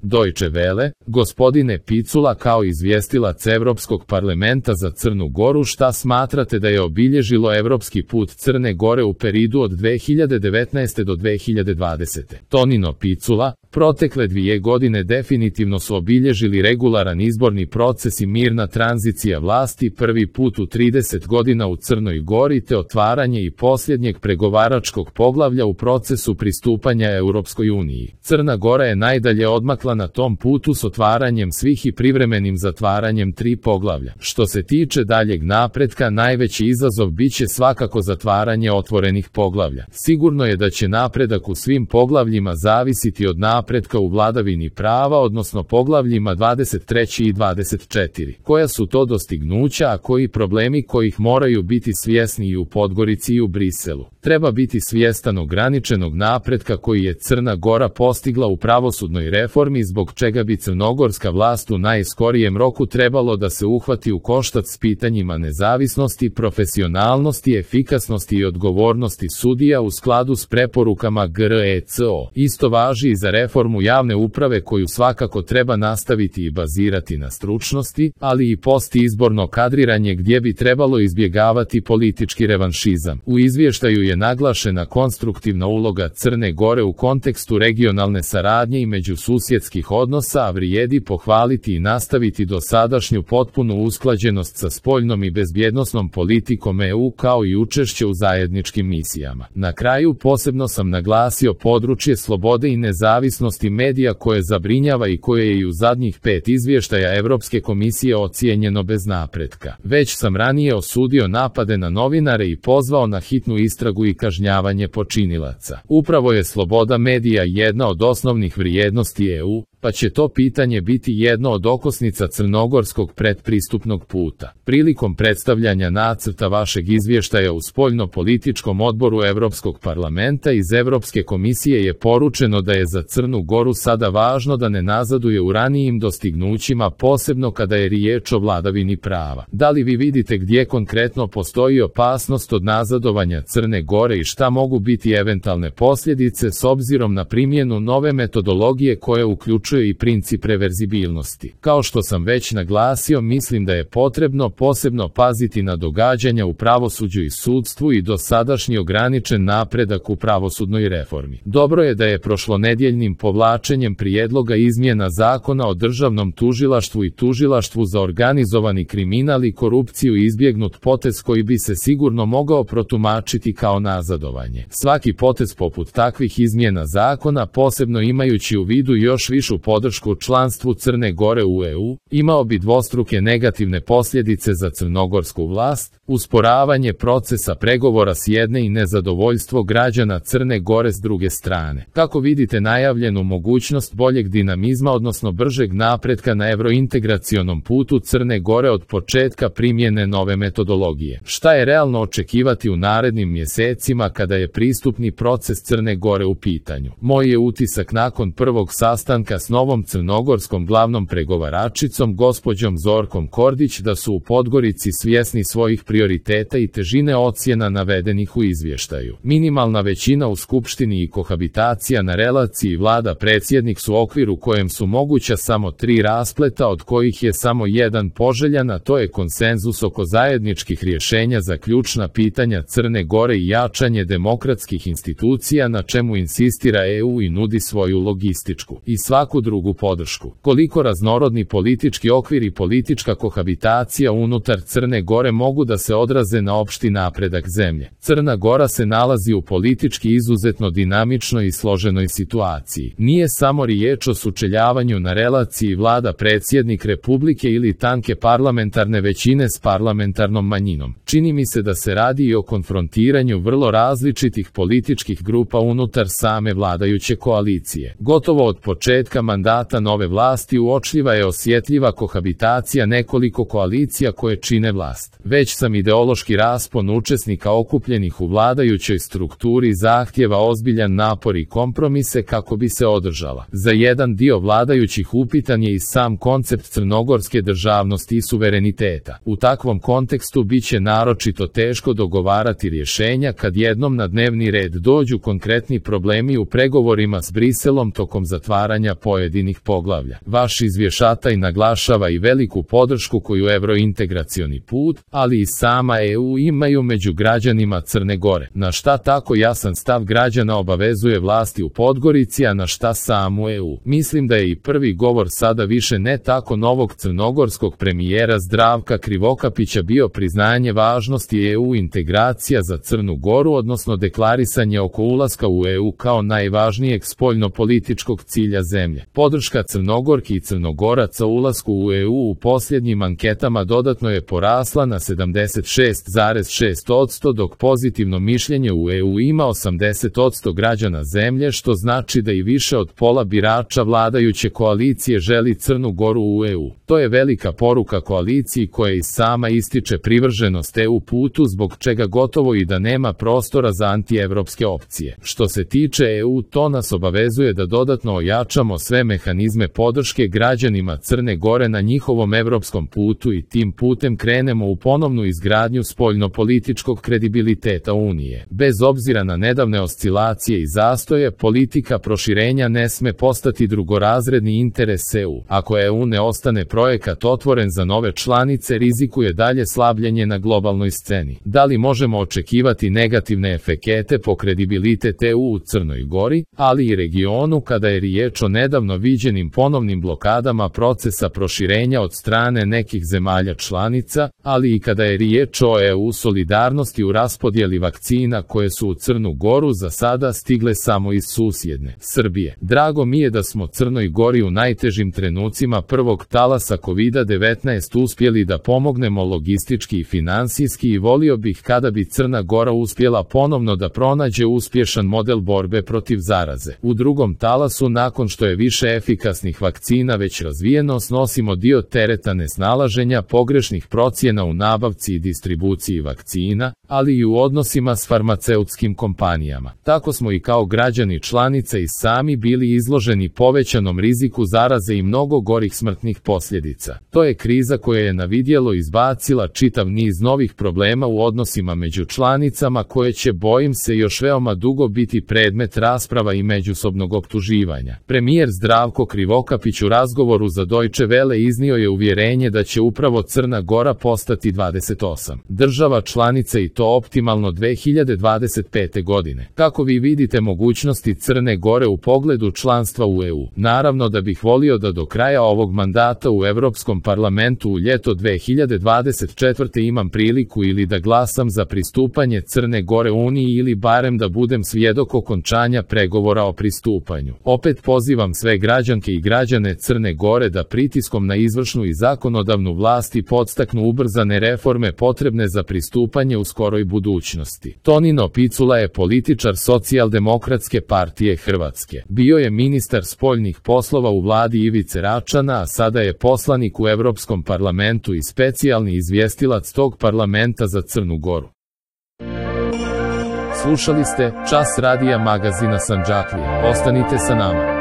Deutsche Welle, gospodine Picula, kao izvjestilac Europskog parlamenta za Crnu Goru, šta smatrate da je obilježilo europski put Crne Gore u periodu od 2019. do 2020. Tonino Picula, protekle 2 godine definitivno su obilježili regularan izborni proces i mirna tranzicija vlasti, prvi put u 30 godina u Crnoj Gori, te otvaranje i posljednjeg pregovaračkog poglavlja u procesu pristupanja Europskoj uniji. Crna Gora je najdalje odmakla na tom putu s otvaranjem svih i privremenim zatvaranjem 3 poglavlja. Što se tiče daljeg napretka, najveći izazov biće svakako zatvaranje otvorenih poglavlja. Sigurno je da će napredak u svim poglavljima zavisiti od napretka u vladavini prava, odnosno poglavljima 23. i 24. Koja su to dostignuća, a koji problemi kojih moraju biti svjesni i u Podgorici i u Briselu. Treba biti svjestan ograničenog napretka koji je Crna Gora postigla u pravosudnoj reformi, zbog čega bi crnogorska vlast u najskorijem roku trebalo da se uhvati u koštac s pitanjima nezavisnosti, profesionalnosti, efikasnosti i odgovornosti sudija u skladu s preporukama GRECO. Isto važi i za reformu javne uprave, koju svakako treba nastaviti i bazirati na stručnosti, ali i postizborno kadriranje gdje bi trebalo izbjegavati politički revanšizam. U izvještaju je naglašena konstruktivna uloga Crne Gore u kontekstu regionalne saradnje i međususjedskih odnosa, a vrijedi pohvaliti i nastaviti dosadašnju potpunu usklađenost sa spoljnom i bezbjednosnom politikom EU, kao i učešće u zajedničkim misijama. Na kraju posebno sam naglasio područje slobode i nezavisnosti medija, koje zabrinjava i koje je i u zadnjih 5 izvještaja Europske komisije ocijenjeno bez napretka. Već sam ranije osudio napade na novinare i pozvao na hitnu istragu i kažnjavanje počinilaca. Upravo je sloboda medija jedna od osnovnih vrijednosti EU, pa će to pitanje biti jedno od okosnica crnogorskog predpristupnog puta. Prilikom predstavljanja nacrta vašeg izvještaja u spoljno-političkom odboru Europskog parlamenta iz Europske komisije je poručeno da je za Crnu Goru sada važno da ne nazaduje u ranijim dostignućima, posebno kada je riječ o vladavini prava. Da li vi vidite gdje konkretno postoji opasnost od nazadovanja Crne Gore i šta mogu biti eventualne posljedice s obzirom na primjenu nove metodologije koja uključuje i princip reverzibilnosti? Kao što sam već naglasio, mislim da je potrebno posebno paziti na događanja u pravosuđu i sudstvu i dosadašnji ograničen napredak u pravosudnoj reformi. Dobro je da je prošlonedjeljnim povlačenjem prijedloga izmjena Zakona o državnom tužilaštvu i tužilaštvu za organizovani kriminal i korupciju izbjegnut potez koji bi se sigurno mogao protumačiti kao nazadovanje. Svaki potez poput takvih izmjena zakona, posebno imajući u vidu još višu podršku članstvu Crne Gore u EU, imao bi dvostruke negativne posljedice za crnogorsku vlast, usporavanje procesa pregovora s jedne i nezadovoljstvo građana Crne Gore s druge strane. Kako vidite najavljenu mogućnost boljeg dinamizma, odnosno bržeg napretka na evrointegracionom putu Crne Gore od početka primjene nove metodologije? Šta je realno očekivati u narednim mjesecima kada je pristupni proces Crne Gore u pitanju? Moj je utisak nakon prvog sastanka s novom crnogorskom glavnom pregovaračicom gospođom Zorkom Kordić da su u Podgorici svjesni svojih prioriteta i težine ocjena navedenih u izvještaju. Minimalna većina u skupštini i kohabitacija na relaciji vlada-predsjednik su okvir u kojem su moguća samo 3 raspleta, od kojih je samo jedan poželjan, a to je konsenzus oko zajedničkih rješenja za ključna pitanja Crne Gore i jačanje demokratskih institucija, na čemu insistira EU i nudi svoju logističku i svaku drugu podršku. Koliko raznorodni politički okvir i politička kohabitacija unutar Crne Gore mogu da se odraze na opšti napredak zemlje? Crna Gora se nalazi u politički izuzetno dinamičnoj i složenoj situaciji. Nije samo riječ o sučeljavanju na relaciji vlada-predsjednik Republike ili tanke parlamentarne većine s parlamentarnom manjinom. Čini mi se da se radi i o konfrontiranju vrlo različitih političkih grupa unutar same vladajuće koalicije. Gotovo od početka mandata nove vlasti uočljiva je osjetljiva kohabitacija nekoliko koalicija koje čine vlast. Već sam ideološki raspon učesnika okupljenih u vladajućoj strukturi zahtjeva ozbiljan napor i kompromise kako bi se održala. Za jedan dio vladajućih upitan je i sam koncept crnogorske državnosti i suvereniteta. U takvom kontekstu biće naročito teško dogovarati rješenja kad jednom na dnevni red dođu konkretni problemi u pregovorima s Briselom tokom zatvaranja pojedinih pojedinih poglavlja. Vaš izvještaj naglašava i veliku podršku koju evrointegracioni put, ali i sama EU imaju među građanima Crne Gore. Na šta tako jasan stav građana obavezuje vlasti u Podgorici, a na šta samu EU. Mislim da je i prvi govor sada više ne tako novog crnogorskog premijera Zdravka Krivokapića bio priznanje važnosti EU integracija za Crnu Goru, odnosno deklarisanje oko ulaska u EU kao najvažnijeg spoljnopolitičkog cilja zemlje. Podrška Crnogorki i Crnogoraca ulasku u EU u posljednjim anketama dodatno je porasla na 76,6%, dok pozitivno mišljenje u EU ima 80% građana zemlje, što znači da i više od pola birača vladajuće koalicije želi Crnu Goru u EU. To je velika poruka koaliciji koja i sama ističe privrženost EU putu, zbog čega gotovo i da nema prostora za antievropske opcije. Što se tiče EU, to nas obavezuje da dodatno ojačamo sve mehanizme podrške građanima Crne Gore na njihovom evropskom putu i tim putem krenemo u ponovnu izgradnju spoljnopolitičkog kredibiliteta Unije. Bez obzira na nedavne oscilacije i zastoje, politika proširenja ne sme postati drugorazredni interes EU. Ako EU ne ostane projekat otvoren za nove članice, rizikuje dalje slabljenje na globalnoj sceni. Da li možemo očekivati negativne efekte po kredibilitet EU u Crnoj Gori, ali i regionu kada je riječ o nedavno viđenim ponovnim blokadama procesa proširenja od strane nekih zemalja članica, ali i kada je riječ o EU solidarnosti u raspodjeli vakcina koje su u Crnu Goru za sada stigle samo iz susjedne Srbije. Drago mi je da smo Crnoj Gori u najtežim trenucima prvog talasa COVID-19 uspjeli da pomognemo logistički i finansijski, i volio bih kada bi Crna Gora uspjela ponovno da pronađe uspješan model borbe protiv zaraze. U drugom talasu, nakon što je više efikasnih vakcina već razvijeno, snosimo dio tereta nesnalaženja, pogrešnih procjena u nabavci i distribuciji vakcina, ali i u odnosima s farmaceutskim kompanijama. Tako smo i kao građani članice i sami bili izloženi povećanom riziku zaraze i mnogo gorih smrtnih posljedica. To je kriza koja je na vidjelo izbacila čitav niz novih problema u odnosima među članicama koje će, bojim se, još veoma dugo biti predmet rasprava i međusobnog optuživanja. Premijer Zdravko Krivokapić u razgovoru za Deutsche Welle iznio je uvjerenje da će upravo Crna Gora postati 28 država članice i to optimalno 2025. godine. Kako vi vidite mogućnosti Crne Gore u pogledu članstva u EU? Naravno da bih volio da do kraja ovog mandata u Europskom parlamentu u ljeto 2024. imam priliku ili da glasam za pristupanje Crne Gore Uniji ili barem da budem svjedok okončanja pregovora o pristupanju. Opet pozivam sve građanke i građane Crne Gore da pritiskom na izvršnu i zakonodavnu vlast podstaknu ubrzane reforme potrebne za pristupanje u skoroj budućnosti. Tonino Picula je političar Socijaldemokratske partije Hrvatske. Bio je ministar spoljnih poslova u vladi Ivice Račana, a sada je poslanik u Europskom parlamentu i specijalni izvjestilac tog parlamenta za Crnu Goru. Slušali ste Čas radija magazina Sandžaklija. Ostanite sa nama.